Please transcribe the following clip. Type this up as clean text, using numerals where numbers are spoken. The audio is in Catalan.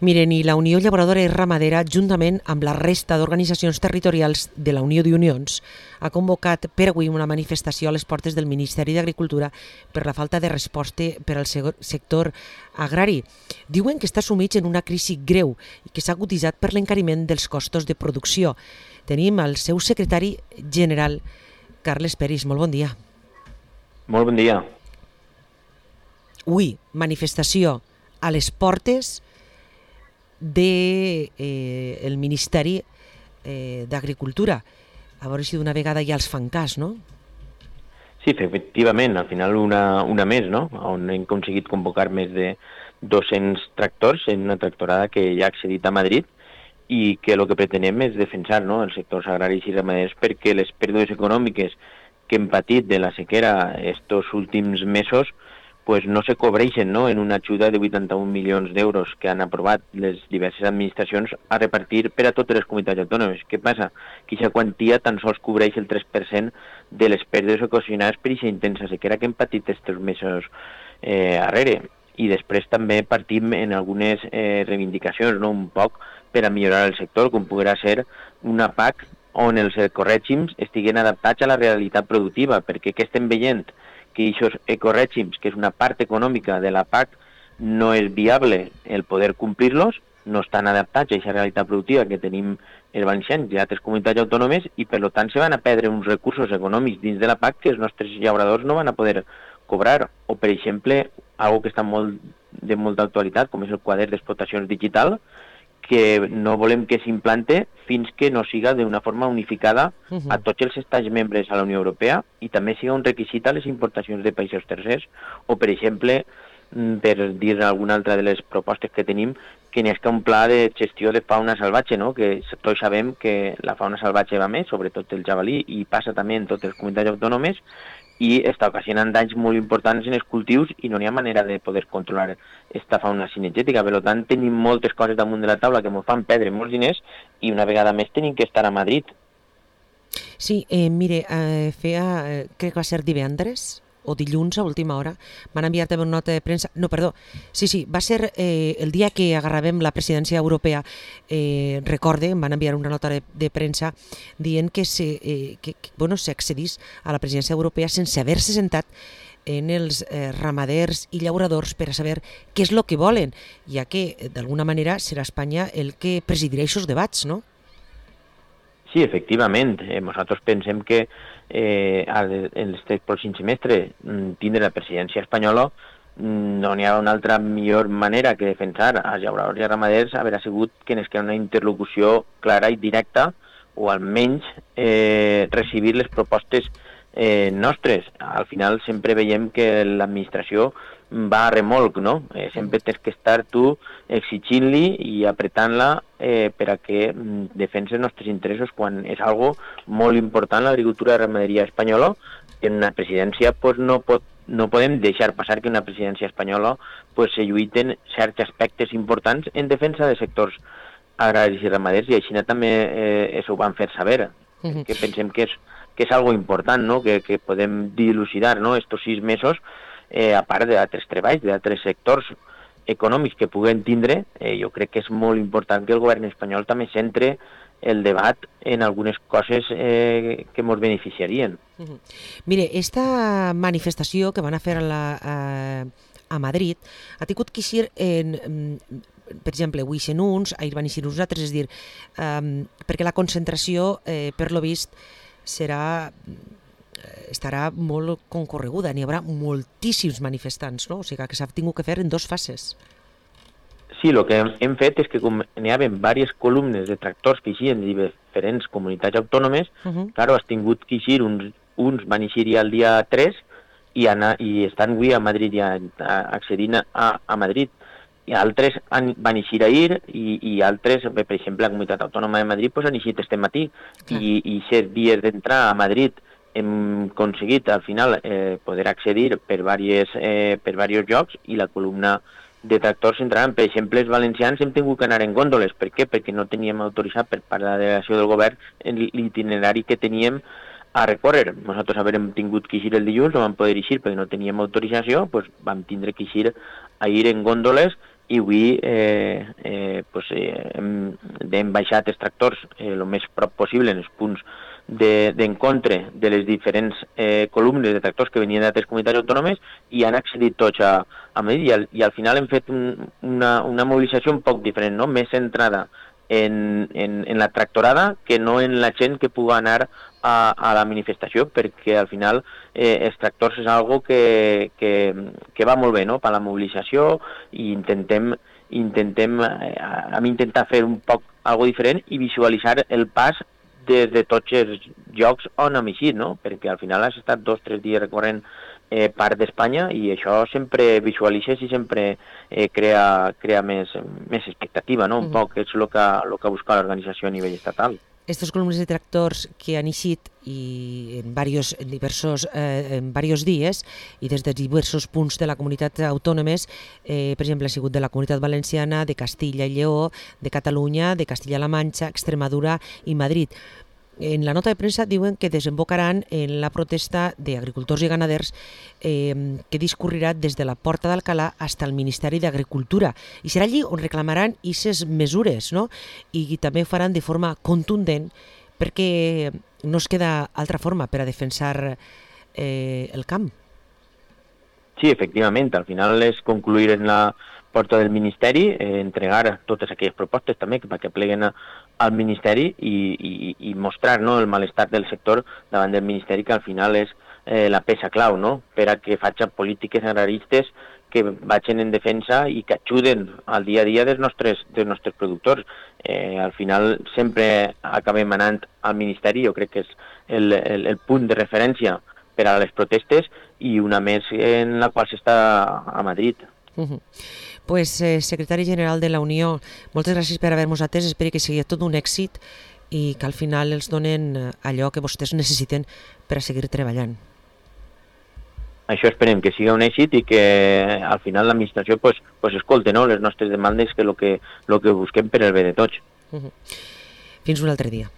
Miren, i la Unió Llauradora i Ramadera, juntament amb la resta d'organitzacions territorials de la Unió d'Unions, ha convocat per avui una manifestació a les portes del Ministeri d'Agricultura per la falta de resposta per al sector agrari. Diuen que està sumits en una crisi greu i que s'ha aguditzat per l'encariment dels costos de producció. Tenim el seu secretari general, Carles Peris. Molt bon dia. Molt bon dia. Avui, manifestació a les portes del Ministeri d'Agricultura. A veure si d'una vegada ja els fan cas, no? Sí, efectivament, al final una més, no? On hem aconseguit convocar més de 200 tractors en una tractorada que ja ha accedit a Madrid i que el que pretenem és defensar, no, els sectors agraris i ramaders perquè les pèrdues econòmiques que hem patit de la sequera estos últims mesos pues no se cobreixen, no, en una ajuda de 81 milions d'euros que han aprovat les diverses administracions a repartir per a totes les comunitats autònomes. Què passa? Que aquesta quantia tan sols cobreix el 3% de les pèrdues ocasionades per aquesta intensa sequera que hem patit aquests mesos arrere. I després també partim en algunes reivindicacions, no, un poc per a millorar el sector, com podrà ser una PAC on els ecorègims estiguen adaptats a la realitat productiva, perquè què estem veient? Que aquests ecorègims, que és una part econòmica de la PAC, no és viable el poder complir-los, no estan adaptats a aquesta realitat productiva que tenim els valencians i altres comunitats autònomes i per tant se van a perdre uns recursos econòmics dins de la PAC que els nostres llauradors no van a poder cobrar. O, per exemple, algo que està de molta actualitat, com és el quadern d'explotacions digital, que no volem que s'implante fins que no siga d'una forma unificada a tots els estats membres a la Unió Europea i també siga un requisit a les importacions de països tercers. O, per exemple, per dir alguna altra de les propostes que tenim, que n'hi ha un pla de gestió de fauna salvatge, no? Que tots sabem que la fauna salvatge va més, sobretot el jabalí, i passa també en totes les comunitats autònomes, i està ocasionant danys molt importants en els cultius i no hi ha manera de poder controlar aquesta fauna cinegètica. Per tant, tenim moltes coses damunt de la taula que ens fan perdre molts diners i una vegada més tenim que estar a Madrid. Sí, mire, crec que va ser divendres o dilluns a última hora, van enviar també una nota de premsa, va ser el dia que agarràvem la presidència europea, recorde, em van enviar una nota de premsa dient que s'accedís a la presidència europea sense haver-se sentat en els ramaders i llauradors per a saber què és el que volen, ja que d'alguna manera serà Espanya el que presidirà aquests debats, no? Sí, efectivament. Nosaltres pensem que en aquest pròxim semestre tindre la presidència espanyola no n'hi ha una altra millor manera que defensar als llauradors i ramaders haver sigut que ens queda una interlocució clara i directa o almenys recibir les propostes nostres. Al final sempre veiem que l'administració va a remolc, no? Sempre tens que estar tu exigint-li i apretant-la per a que defensi els nostres interessos quan és algo molt important l'agricultura i ramaderia espanyola. En una presidència no podem deixar passar que una presidència espanyola se lluiten certs aspectes importants en defensa de sectors agraris i ramaders i així també ho van fer saber. Que pensem que és algo important, no? Que podem dilucidar, no? Estos 6 mesos, a part d'altres treballs, d'altres sectors econòmics que puguen tindre, jo crec que és molt important que el govern espanyol també centre el debat en algunes coses que ens beneficiarien. Mire, esta manifestació que van a fer a Madrid ha tingut que ser per exemple, avui ixen uns, ahir van ixir uns altres, és dir, perquè la concentració, per lo vist, estarà molt concorreguda, n'hi haurà moltíssims manifestants, no? O sigui que s'ha tingut que fer en 2 fases. Sí, el que hem fet és que com n'hi havia diverses columnes de tractors que eixien de diferents comunitats autònomes, claro, has tingut que eixir, uns van eixir ja el dia 3 i estan avui a Madrid ja accedint a Madrid. I altres van eixir ahir i altres, per exemple, la comunitat autònoma de Madrid han eixit este matí i 7 dies d'entrar a Madrid hem aconseguit al final poder accedir per diversos llocs i la columna de tractors entraran. Per exemple, els valencians hem tingut que anar en gòndoles. Per què? Perquè no teníem autoritzat per part de la delegació del govern l'itinerari que teníem a recórrer. Nosaltres havíem tingut que eixir el dilluns, no vam poder eixir perquè no teníem autorització, doncs vam tindre que eixir a ir en gòndoles i avui hem baixat els tractors el més prop possible en els punts d'encontre de les diferents columnes de tractors que venien d'altres comunitats autònomes i han accedit tots a Madrid i al final hem fet una mobilització un poc diferent, no? Més centrada en la tractorada que no en la gent que pugui anar a la manifestació, perquè al final els tractors és algo que va molt bé, no?, per la mobilització, i intentem intentar fer un poc algo diferent i visualitzar el pas des de tots els llocs on hem eixit, no?, perquè al final has estat 2 o 3 dies recorrent part d'Espanya i això sempre visualitzes i sempre crea més expectativa, no?, un poc és el que busca l'organització a nivell estatal. Estos columnes de tractors que han eixit en diversos dies i des de diversos punts de la comunitat autònomes, per exemple, ha sigut de la Comunitat Valenciana, de Castilla i Lleó, de Catalunya, de Castilla-La Manxa, Extremadura i Madrid. En la nota de premsa diuen que desembocaran en la protesta d'agricultors i ganaders que discorrirà des de la Porta d'Alcalà fins al Ministeri d'Agricultura. I serà allí on reclamaran aquestes mesures, no? I també ho faran de forma contundent perquè no es queda altra forma per a defensar el camp. Sí, efectivament, al final és concluir en la porta del Ministeri, entregar totes aquelles propostes també perquè pleguen al Ministeri i mostrar, no, el malestar del sector davant del Ministeri, que al final és la peça clau, no?, per a que facin polítiques agraristes que vagin en defensa i que ajuden al dia a dia dels nostres productors. Al final sempre acabem anant al Ministeri, jo crec que és el punt de referència per a les protestes i una més en la qual s'està a Madrid. Pues, secretari general de la Unió, moltes gràcies per haver-nos atès, espero que sigui tot un èxit i que al final els donen allò que vostès necessiten per a seguir treballant. Això esperem que sigui un èxit i que al final l'administració escolti, no, les nostres demandes, que el que busquem per al bé de tots. Fins un altre dia.